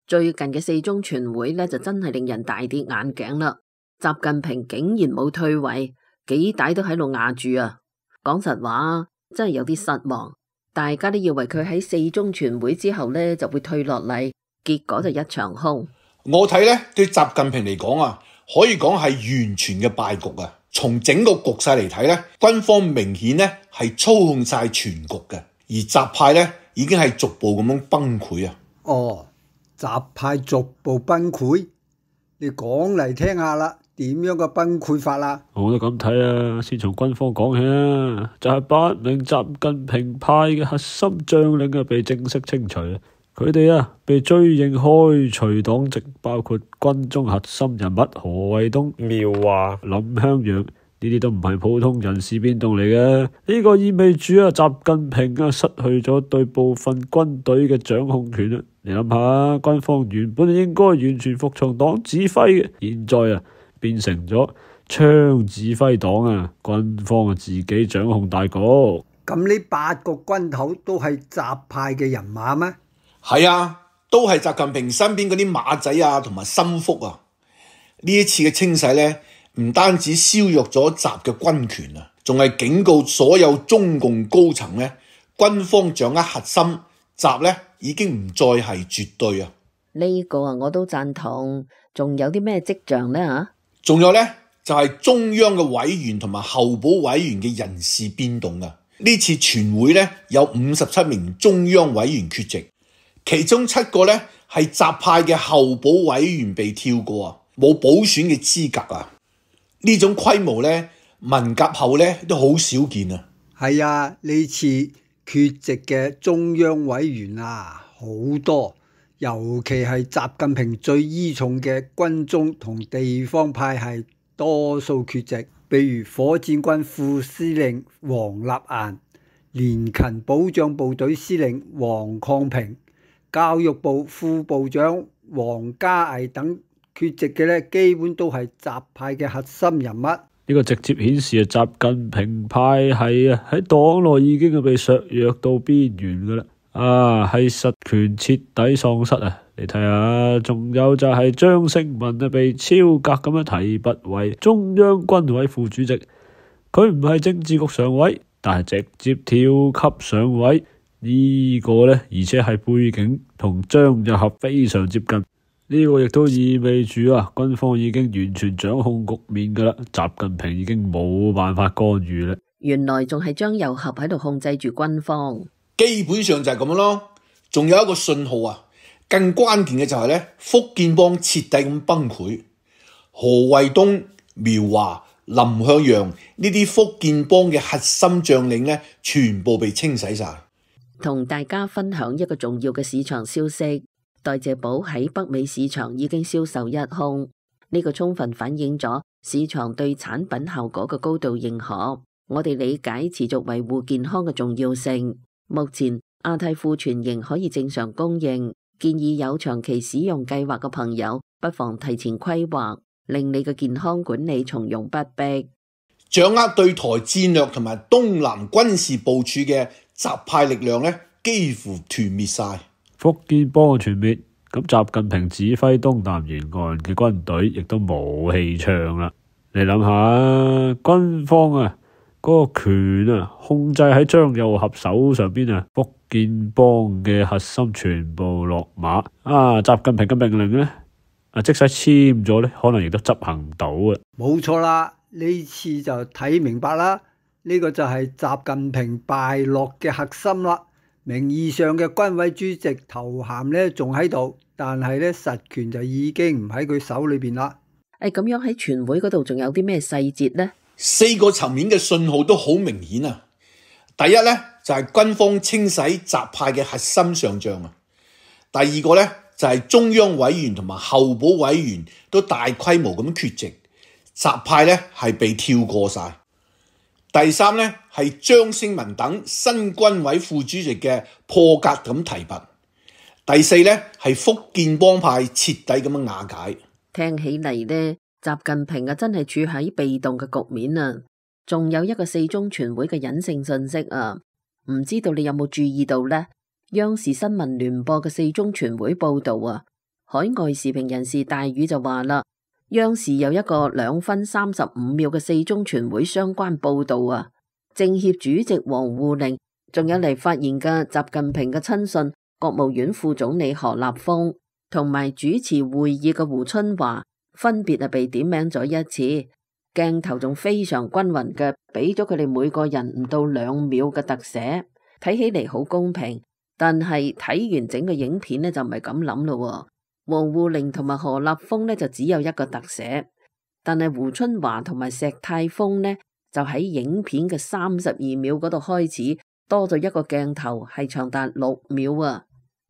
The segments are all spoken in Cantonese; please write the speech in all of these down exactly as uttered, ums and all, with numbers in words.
最近嘅四中全會呢，就真係令人大跌眼鏡啦。習近平竟然冇退位，幾大都喺度壓住啊！講實話，真係有啲失望。大家都以為佢喺四中全會之後呢就會退落嚟，結果就一場空。我睇呢，對習近平嚟講啊，可以講係完全嘅敗局啊！從整個局勢嚟睇呢，軍方明顯呢係操控晒全局嘅，而習派呢已經係逐步咁樣崩潰啊！哦，習派逐步崩潰，你講嚟聽下啦，點樣嘅崩潰法啦？我都咁睇啊，先從軍方講起啊，就係、是、八名習近平派嘅核心將領啊被正式清除，佢哋啊被追認開除黨籍，包括軍中核心人物何衛東、苗華、林香陽。呢啲都唔係普通人事變動嚟嘅，呢、這個意味住啊，習近平啊失去咗對部分軍隊嘅掌控權啦。你諗下，軍方原本應該完全服從黨指揮嘅，現在啊變成咗槍指揮黨啊，軍方啊自己掌控大局。咁呢八個軍頭都係習派嘅人馬咩？係啊，都係習近平身邊嗰啲馬仔啊，同埋心腹啊。呢一次嘅清洗呢，唔單止削弱咗習嘅軍權啊，仲係警告所有中共高層呢，軍方掌握核心，習呢已經唔再係絕對啊。呢個啊，我都贊同。仲有啲咩跡象呢？吓，仲有呢，就係中央嘅委員同埋候補委員嘅人事變動啊。呢次全會呢，有五十七名中央委員缺席，其中七個呢係習派嘅候補委員被跳過啊，冇補選嘅資格啊。呢種規模呢，文革後呢都好少見啊。係啊，呢次缺席嘅中央委員啊好多，尤其係習近平最依重嘅軍中同地方派係多數缺席，比如火箭軍副司令王立岩、聯勤保障部隊司令王抗平、教育部副部長王家毅等。缺席嘅咧，基本都係習派嘅核心人物。呢個直接顯示啊，習近平派系啊喺黨內已經係被削弱到邊緣噶啦，啊係實權徹底喪失啊！你睇下，仲有就係張勝文啊被超格咁樣提拔為中央軍委副主席，佢唔係政治局常委，但係直接跳級上位，呢、這個呢，而且係背景同張又俠非常接近。呢個亦都意味住啊，軍方已經完全掌控局面噶啦，習近平已經冇辦法干預啦。原來仲係張又俠喺度控制住軍方，基本上就係咁樣咯。仲有一個信號啊，更關鍵嘅就係咧，福建幫徹底咁崩潰，何衛東、苗華、林向陽呢啲福建幫嘅核心將領咧，全部被清洗晒。同大家分享一個重要嘅市場消息。代謝寶喺北美市場已經銷售一空，呢個充分反映咗市場對產品效果嘅高度認可。我哋理解持續維護健康嘅重要性。目前亞太庫存仍可以正常供應，建議有長期使用計劃嘅朋友不妨提前規劃，令你嘅健康管理從容不迫。掌握對台戰略同埋東南軍事部署嘅習派力量咧，幾乎團滅晒。福建幫嘅全滅，咁習近平指揮東南沿岸嘅軍隊亦都冇氣唱啦。你諗下，軍方啊嗰、那個權啊控制喺張又俠手上邊啊，福建幫嘅核心全部落馬啊！習近平嘅命令呢，啊即使簽咗呢，可能亦都執行唔到啊。冇錯啦，呢次就睇明白啦，呢、這個就係習近平敗落嘅核心啦。名義上嘅軍委主席頭銜咧仲喺度，但係咧實權就已經唔喺佢手裏邊啦。誒，咁樣喺全會嗰度仲有啲咩細節呢？四個層面嘅信號都好明顯啊！第一咧就係、是、軍方清洗習派嘅核心上將啊。第二個咧就係、是、中央委員同埋候補委員都大規模咁缺席，習派咧係被跳過晒。第三呢，係張勝文等新軍委副主席嘅破格咁提拔。第四呢，係福建幫派徹底咁樣瓦解。聽起嚟呢，習近平啊真係處喺被動嘅局面啊。仲有一個四中全會嘅隱性信息啊，唔知道你有冇注意到呢？央視新聞聯播嘅四中全會報道啊，海外時評人士大宇就話啦，央視有一個兩分三十五秒嘅四中全會相關報導啊，政協主席王滬寧，仲有嚟發言嘅習近平嘅親信國務院副總理何立峰，同埋主持會議嘅胡春華，分別係被點名咗一次，鏡頭仲非常均勻嘅，俾咗佢哋每個人唔到兩秒嘅特寫，睇起嚟好公平。但係睇完整個影片呢，就唔係咁諗咯。王滬寧同埋何立峰呢，就只有一個特寫，但係胡春華同埋石泰峰呢，就喺影片嘅三十二秒嗰度開始多咗一個鏡頭，係長達六秒啊！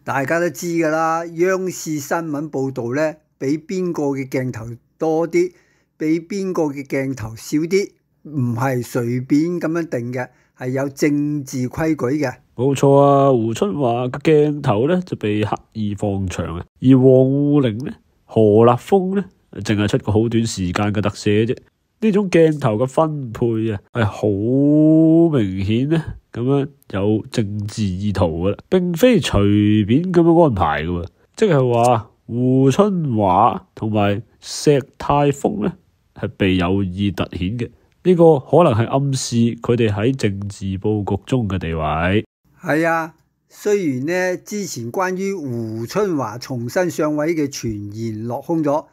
大家都知噶啦，央視新聞報道呢，俾邊個嘅鏡頭多啲，俾邊個嘅鏡頭少啲，唔係隨便咁樣定嘅，係有政治規矩嘅。冇錯啊，胡春華嘅鏡頭咧就被刻意放長啊，而王滬寧咧、何立峰咧，淨係出個好短時間嘅特寫啫。呢種鏡頭嘅分配啊，係好明顯咧，咁樣有政治意圖噶啦，並非隨便咁樣安排噶。即係話胡春華同埋石泰峰咧，係被有意凸顯嘅。呢個可能係暗示佢哋喺政治佈局中嘅地位。係啊，雖然呢之前關於胡春華重新上位嘅傳言落空咗，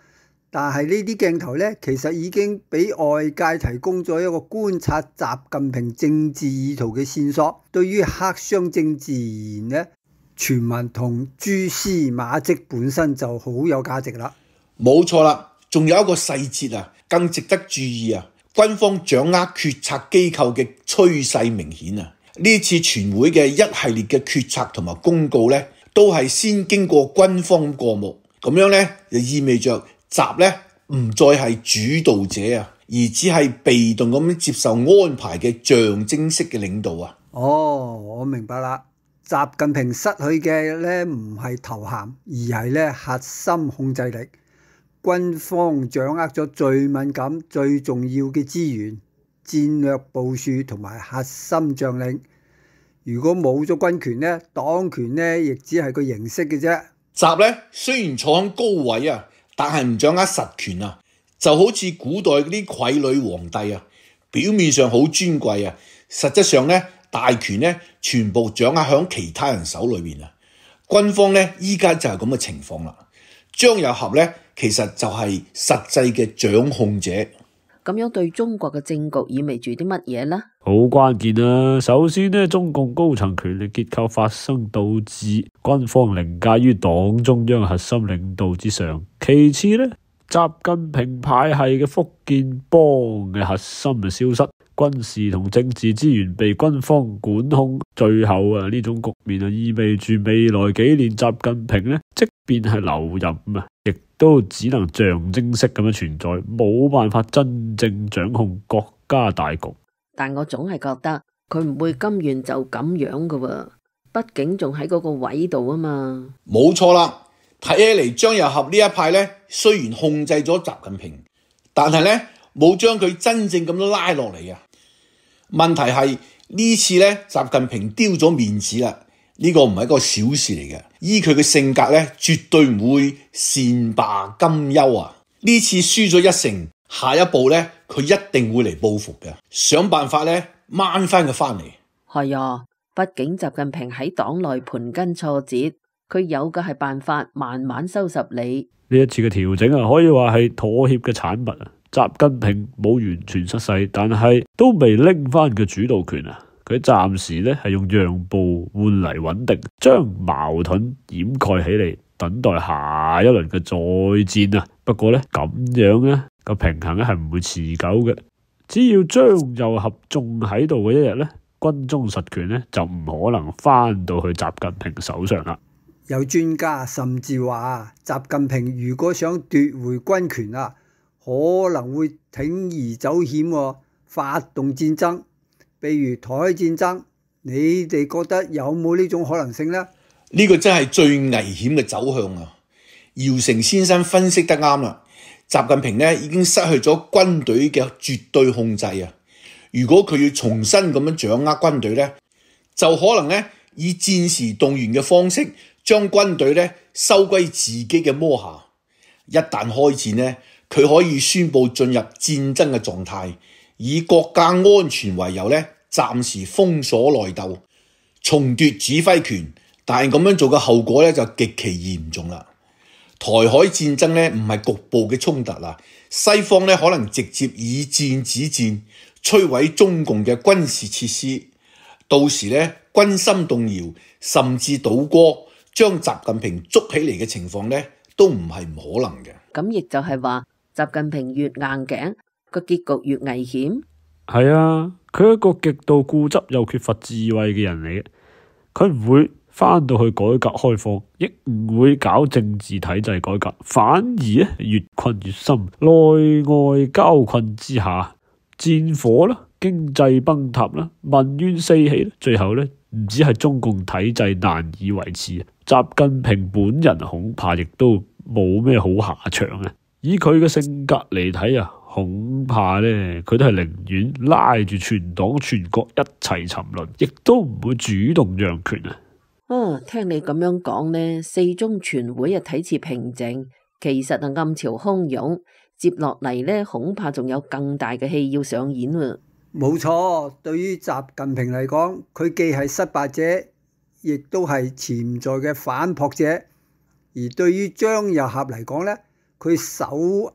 但係呢啲鏡頭呢，其實已經俾外界提供咗一個觀察習近平政治意圖嘅線索。對於黑箱政治而言呢，傳聞同蛛絲馬跡本身就好有價值啦。冇錯啦，仲有一個細節啊，更值得注意啊！軍方掌握決策機構嘅趨勢明顯啊！呢次全會嘅一系列嘅決策同埋公告咧，都係先經過軍方過目，咁樣咧就意味着習咧唔再係主導者啊，而只係被動咁接受安排嘅象徵式嘅領導啊。哦，我明白啦，習近平失去嘅咧唔係頭銜，而係咧核心控制力。軍方掌握咗最敏感、最重要嘅資源。戰略部署同埋核心將領，如果冇咗軍權呢，黨權呢亦只係個形式嘅啫。習呢雖然坐喺高位啊，但係唔掌握實權啊，就好似古代嗰啲傀儡皇帝啊，表面上好尊貴啊，實質上呢大權呢全部掌握喺其他人手裏面啊。軍方呢依家就係咁嘅情況啦。張又俠呢其實就係實際嘅掌控者。咁樣對中國嘅政局意味住啲乜嘢呢？好關鍵啊！首先呢，中共高層權力結構發生倒置，軍方凌駕於黨中央核心領導之上。其次呢，習近平派系嘅福建幫嘅核心就消失，軍事同政治資源被軍方管控。最後啊，呢種局面啊，意味住未來幾年習近平呢，即便係留任啊，亦都只能象徵式咁樣存在，冇辦法真正掌控國家大局。但我總係覺得佢唔會甘願就咁樣噶喎，畢竟仲喺嗰個位度啊嘛。冇錯啦，睇起嚟張又俠呢一派呢，雖然控制咗習近平，但係呢冇將佢真正咁樣拉落嚟啊。問題係呢次呢，習近平丟咗面子啦，呢個唔係一個小事嚟嘅。依佢嘅性格呢，絕對唔會善罷甘休啊！呢次輸咗一成，下一步呢，佢一定會嚟報復嘅，想辦法呢，掹翻佢翻嚟。係啊，畢竟習近平喺黨內盤根錯節，佢有嘅係辦法慢慢收拾你。呢一次嘅調整啊，可以話係妥協嘅產物啊。習近平冇完全失勢，但係都未拎翻個主導權啊。佢暫時咧係用讓步換嚟穩定，將矛盾掩蓋起嚟，等待下一輪嘅再戰啊。不過咧咁樣咧個平衡咧係唔會持久嘅。只要張又俠仲喺度嘅一日咧，軍中實權咧就唔可能翻到去習近平手上啦。有專家甚至話，習近平如果想奪回軍權啊，可能會鋌而走險，發動戰爭，比如台海戰爭。你哋覺得有冇呢種可能性呢？呢個真係最危險嘅走向啊！姚成先生分析得啱啦，習近平呢已經失去咗軍隊嘅絕對控制啊！如果佢要重新咁樣掌握軍隊呢，就可能呢以戰時動員嘅方式將軍隊咧收歸自己嘅摸下。一旦開戰呢，佢可以宣布進入戰爭嘅狀態，以國家安全為由咧，暫時封鎖內鬥，重奪指揮權。但係咁樣做嘅後果咧就極其嚴重啦。台海戰爭咧唔係局部嘅衝突啦，西方咧可能直接以戰止戰，摧毀中共嘅軍事設施。到時咧軍心動搖，甚至倒戈，將習近平捉起嚟嘅情況咧，都唔係唔可能嘅。咁亦就係話，習近平越硬頸，個結局越危險。係啊，佢係一個極度固執又缺乏智慧嘅人嚟嘅，佢唔會翻到去改革開放，亦唔會搞政治體制改革，反而咧越困越深，內外交困之下，戰火啦、經濟崩塌啦、民怨四起，最後咧唔止係中共體制難以維持，習近平本人恐怕亦都冇咩好下場啊！以佢嘅性格嚟睇啊，恐怕咧佢都係寧願拉住全黨全國一齊沉淪，亦都唔會主動讓權啊！哦，聽你咁樣講呢，四中全會啊睇似平靜，其實啊暗潮洶湧，接落嚟呢，恐怕仲有更大嘅戲要上演啊！冇錯，對於習近平嚟講，佢既係失敗者，亦都係潛在嘅反撲者。而對於張又俠嚟講呢，佢手握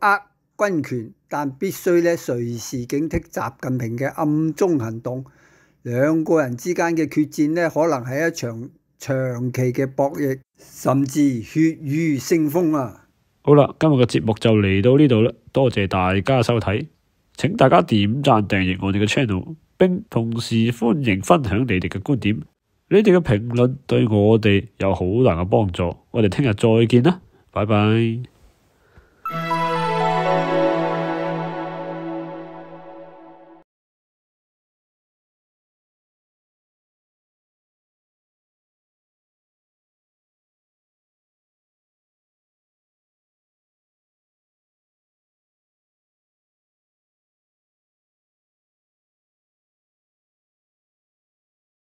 軍權，但必須咧隨時警惕習近平嘅暗中行動。兩個人之間嘅決戰呢，可能係一場長期嘅博弈，甚至血雨腥風啊！好啦，今日嘅節目就嚟到呢度啦，多謝大家收睇，請大家點讚訂閱我哋嘅 channel， 並同時歡迎分享你哋嘅觀點，你哋嘅評論對我哋有好大嘅幫助。我哋聽日再見啦，拜拜。